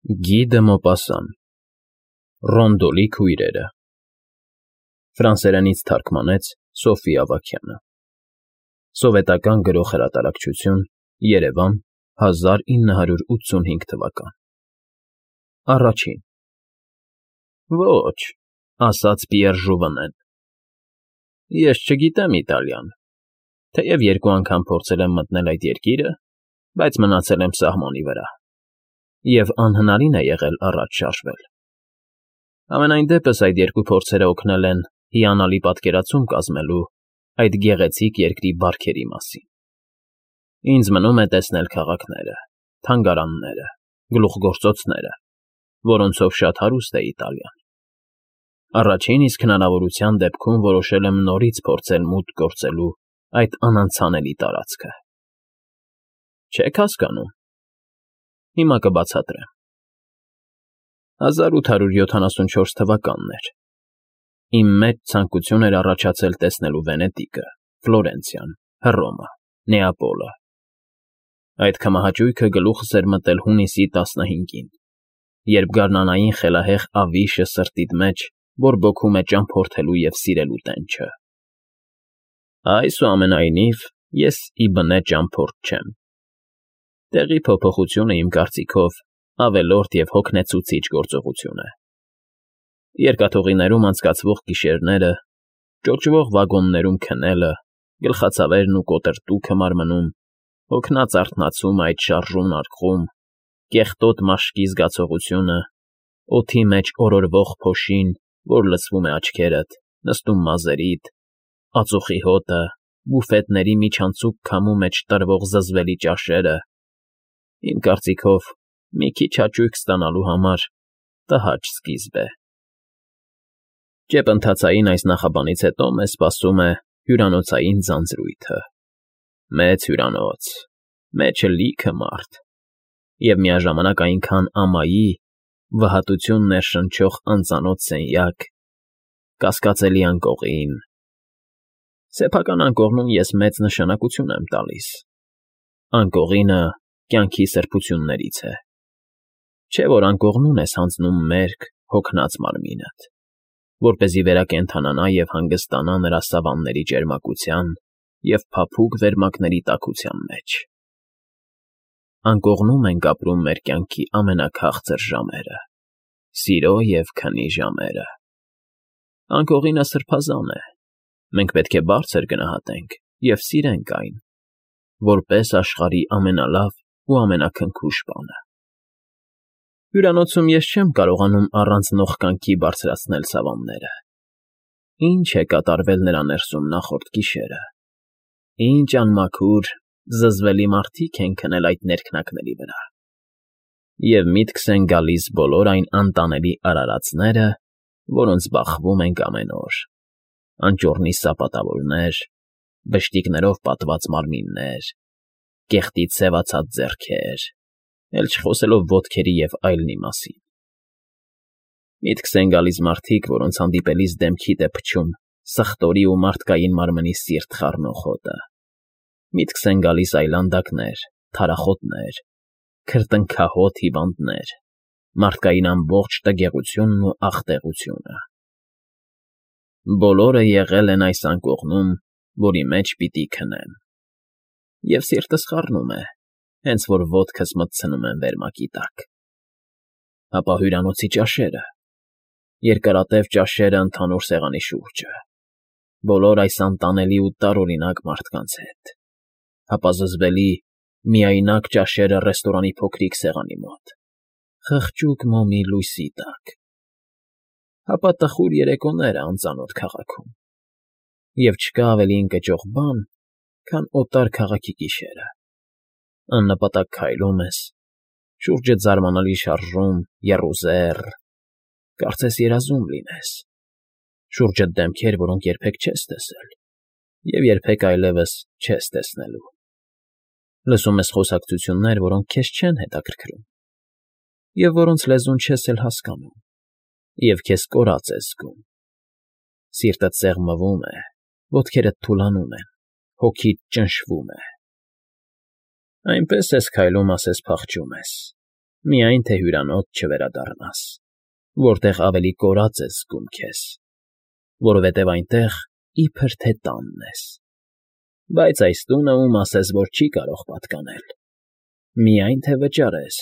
Գի դը Մոպասան Ռոնդոլի քույրերը Ֆրանսերենից թարգմանեց Սոֆի Ավագյանը Սովետական Գրող Հրատարակչություն Երևան 1985 թվական Առաջին Ոչ, ասաց Պիեր Ժուվենեն, ես չգիտեմ իտալյան, թեև երկու անգամ փորձել եմ մտնել այդ երկիրը, բայց մնացել եմ սահմանի վրա, և անհնարին է եղել առաջ շարժվել։ Համենայն դեպս այդ երկու փորձերը օգնել են հիանալի պատկերացում կազմելու այդ գեղեցիկ երկրի բարքերի մասին։ Ինձ մնում է տեսնել քաղաքները, թանգարանները, գլուխգործոցները, որոնցով շատ հարուստ է Իտալիան։ Առաջին իսկ հնարավորության դեպքում որոշել եմ նորից փորձել մուտք գործելու այդ անանցանելի տարածքը։ Չեք հասկանում։ Հիմա կբացատրեմ։ 1874 թվականն էր։ Իմ մեջ ցանկություն էր առաջացել տեսնելու Վենետիկը, Ֆլորենցիան, Հռոմը, Նեապոլը։ Այդ քմահաճույքը գլուխս էր մտել հունիսի 15-ին, երբ գարնանային խելահեղ ավիշը սրտիդ մեջ բորբոքում է ճամփորդելու և սիրելու տենչը։ Այսուամենայնիվ, ես ի բնե ճամփորդ չեմ։ Տեղի փոփոխությունը, իմ կարծիքով, ավելորդ և հոգնեցուցիչ գործողություն է։ Երկաթուղիներում անցկացվող գիշերները, ճոճվող վագոններում քնելը, գլխացավերն ու կոտրտուքը մարմնում, հոգնած արթնացումը այդ շարժուն արկղում, կեղտոտ մաշկի զգացողությունը, օդի մեջ օրորվող փոշին, որ լցվում է աչքերդ, նստում մազերիդ, ածուխի հոտը, բուֆետների միջանցիկ քամու մեջ տրվող զզվելի ճաշերը, իմ կարծիքով, մի քիչ հաճույք ստանալու համար տհաճ սկիզբ է։ Ճեպընթացային այս նախաբանից հետո մեզ սպասում է հյուրանոցային ձանձրույթը։ Մեծ հյուրանոց, մեջը լիքը մարդ, և միաժամանակ այնքան ամայի, վհատություն ներշնչող անծանոթ սենյակ, կասկածելի անկողին։ Սեփական անկողնում ես մեծ նշանակություն եմ տալիս։ Անկողինը կյանքի սրբություններից է։ Չէ՞ որ անկողնուն ես հանձնում մերկ, հոգնած մարմինդ, որպեսզի վերակենդանանա և հանգստանա նրա սավանների ճերմակության և փափուկ վերմակների տաքության մեջ։ Անկողնում ենք ապրում մեր կյանքի ամենաքաղցր ժամերը, սիրո և քնի ժամերը։ Անկողինը սրբազան է, մենք պետք է բարձր գնահատենք և սիրենք այն, որպես աշխարհի ամենալավ ու ամենաքնքուշ բանը։ Հյուրանոցում ես չեմ կարողանում առանց նողկանքի բարձրացնել սավանները։ Ինչ է կատարվել նրա ներսում նախորդ գիշերը։ Ինչ անմաքուր, զզվելի մարդիկ են քնել այդ ներքնակների վրա։ Եվ միտքս են գալիս բոլոր այն անտանելի արարածները, որոնց բախվում ենք ամեն օր. անճոռնի սապատավորներ, բշտիկներով պատված մարմիններ, կեղտից սևացած ձեռքեր, էլ չխոսելով ոտքերի և այլնի մասին։ Միտքս են գալիս մարդիկ, որոնց հանդիպելիս դեմքիդ է փչում սխտորի ու մարդկային մարմնի սիրտ խառնող հոտը։ Միտքս են գալիս այլանդակներ, թարախոտներ, քրտնքահոտ հիվանդներ, մարդկային ամբողջ տգեղությունն ու աղտեղությունը։ Բոլորը եղել են այս անկողնում, որի մեջ պիտի քնեմ։ Եվ սիրտս խառնում է, հենց որ ոտքս մտցնում եմ վերմակի տակ։ Ապա հյուրանոցի ճաշերը, երկարատև ճաշերը ընդհանուր սեղանի շուրջը, բոլոր այս անտանելի ու տարօրինակ մարդկանց հետ, ապա զզվելի, միայնակ ճաշերը ռեստորանի փոքրիկ սեղանի մոտ, խղճուկ մոմի լույսի տակ, ապա տխուր երեկոները անծանոթ քաղաքում, և չկա ավելի ընկճող բան, քան օտար քաղաքի գիշերը։ Աննպատակ քայլում ես, շուրջդ զարմանալի շարժում, եռուզեռ, կարծես երազում լինես, շուրջդ դեմքեր, որոնք երբեք չես տեսել և երբեք այլևս չես տեսնելու։ Լսում ես խոսակցություններ, որոնք քեզ չեն հետաքրքրում, և որոնց լեզուն չես էլ հասկանում, և քեզ կորած ես զգում։ Սիրտդ սեղմվում է, ոտքերդ թուլանում են, հոգիդ ճնշվում է։ Այնպես ես քայլում ասես փախչում ես, Միայն թե հյուրանոց չվերադառնաս, որտեղ ավելի կորած ես զգում քեզ, որովհետև այնտեղ իբր թե տանն ես, բայց այս տունը ում ասես, որ չի կարող պատկանել, միայն թե վճարես։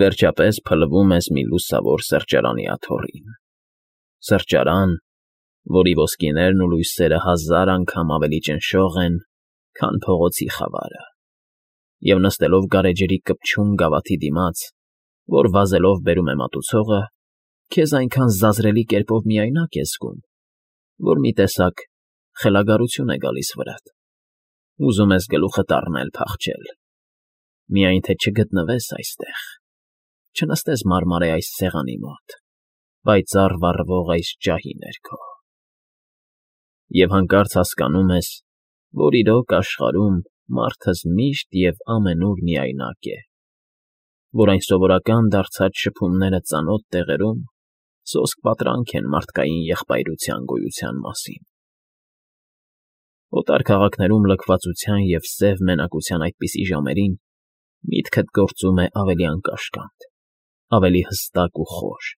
Վերջապես փլվում ես մի լուսավոր սրճարանի աթոռին, սրճարան, որի ոսկիներն ու լույսերը 1000 անգամ ավելի ճնշող են, քան փողոցի խավարը, և նստելով գարեջրի կպչուն գավաթի դիմաց, որ վազելով բերում է մատուցողը, քեզ այնքան զազրելի կերպով միայնակ ես զգում, որ մի տեսակ խելագարություն է գալիս վրատ, ուզում ես գլուխդ առնել փախչել, միայն թե չգտնվես այստեղ, չնստես մարմարե այս սեղանի մոտ, պայծառ վառվող այս ջահի ներքո, և հանկարծ հասկանում ես, որ իրոք աշխարհում մարդս միշտ և ամենուր միայնակ է, որ այն սովորական դարձած շփումները ծանոթ տեղերում սոսկ պատրանք են մարդկային եղբայրության գոյության մասին։ Օտար քաղաքներում լքվածության և սև մենակության այդպիսի ժամերին միտքդ գործում է ավելի անկաշկանդ, ավելի հստակ ու խոր,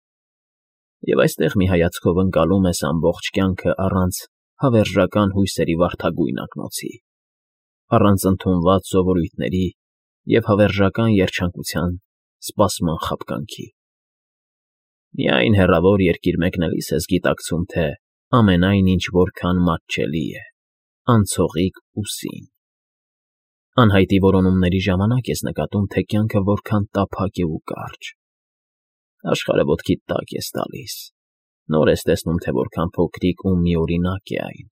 և այստեղ մի հայացքով ընկալում ես ամբողջ կյանքը առանց հավերժական հույսերի վարդագույն ակնոցի, առանց ընդունված սովորույթների և հավերժական երջանկության սպասման խաբկանքի։ Միայն հեռավոր երկիր մեկնելիս ես գիտակցում, թե ամենայն ինչ որքան մատչելի է, անցողիկ ու սին։ Անհայտի որոնումների ժամանակ ես նկատում, թե կյանքը որքան տափակ է ու կարճ։ Աշխարհը ոտքիդ տակ ես տալիս, նոր ես տեսնում, թե որքան փոքրիկ ու միօրինակ է այն։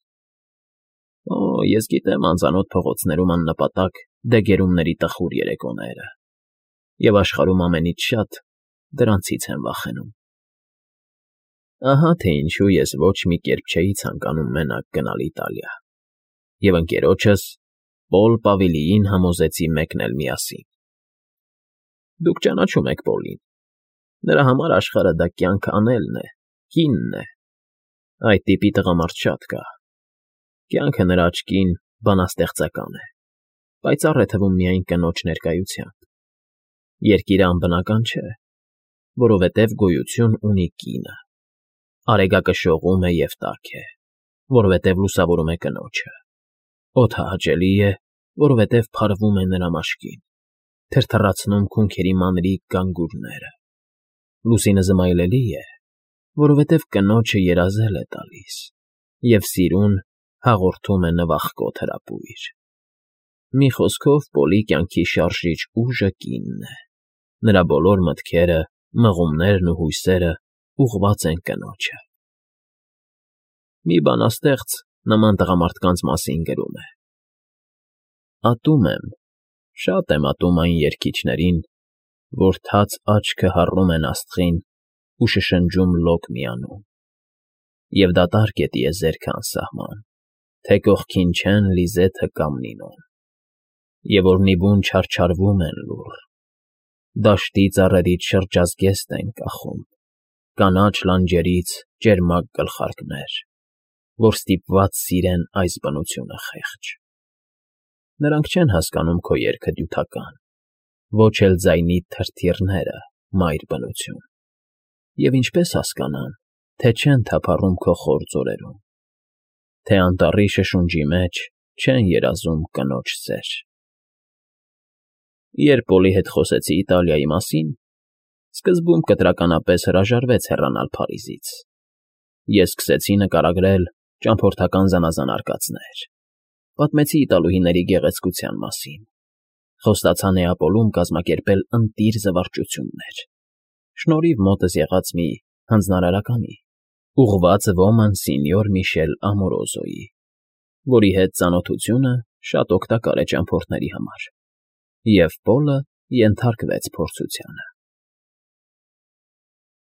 Օ, ես գիտեմ անծանոթ փողոցներում աննպատակ դեգերումների տխուր երեկոները, և աշխարհում ամենից շատ դրանցից եմ վախենում։ Ահա թե ինչու ես ոչ մի կերպ չէի ցանկանում մենակ գնալ Իտալիա, և ընկերոջս Պոլ Պավիլիին համոզեցի մեկնել միասին։ Դուք ճանաչում եք Պոլին, նրա համար աշխարհը դա կյանք անելն է, կինն է, այդ տիպի տղամարդ շատ կա, կյանքը նրա աչքին բանաստեղծական է, պայծառ է թվում միայն կնոջ ներկայությամբ, երկիրը անբնական չէ, որովհետև գոյություն ունի կինը, արեգակը շողում է և տաք է, որովհետև լուսավորում է կնոջը, օդը հաճելի է, որովհետև փարվում է նրա մաշկին, թրթռացնում քունքերի մանրիկ գանգուրները, լուսինը զմայլելի է, որովհետև կնոջը երազել է տալիս, և սիրուն հաղորդում է նվախկոտ հրապույր։ Մի խոսքով, Պոլի կյանքի շարժիչ ուժը կինն է, նրա բոլոր մտքերը, մղումներն ու հույսերը ուղղված են կնոջը։ Մի բանաստեղծ նման տղամարդկանց մասին գրում է. «Ատում եմ, շատ եմ ատում այն երգիչներին, որ թաց աչքը հառում են աստղին ու շշնջում լոկ միանում, և դատարկ է տիեզերքը անսահման, թե կողքին չեն Լիզեթը կամ Նինոն, և որ նիվում չարչարվում են լուռ, դաշտի ծառերից շրջազգեստ են կախում, կանաչ լանջերից ճերմակ գլխարկներ, որ ստիպված սիրեն այս բնությունը խեղճ։ Նրանք չեն հասկանում քո երգը դյութական, ոչ էլ ձայնիդ թրթիռները, մայր բնություն, և ինչպես հասկանան, թե չեն թափառում քո խոր ձորերում, թե անտառի շշունջի մեջ չեն երազում կնոջ սեր»։ Երբ Պոլի հետ խոսեցի Իտալիայի մասին, սկզբում կտրականապես հրաժարվեց հեռանալ Փարիզից։ Ես սկսեցի նկարագրել ճամփորդական զանազան արկածներ, պատմեցի իտալուհիների գեղեցկության մասին, խոստացա Նեապոլում կազմակերպել ընտիր զվարճություններ, շնորհիվ մոտս եղած մի հանձնարարականի, ուղղված ոմանսինյոր Միշել Ամորոզոյի, որի հետ ծանոթությունը շատ օգտակար է ճամփորդների համար, և Պոլը ենթարկվեց փորձությանը։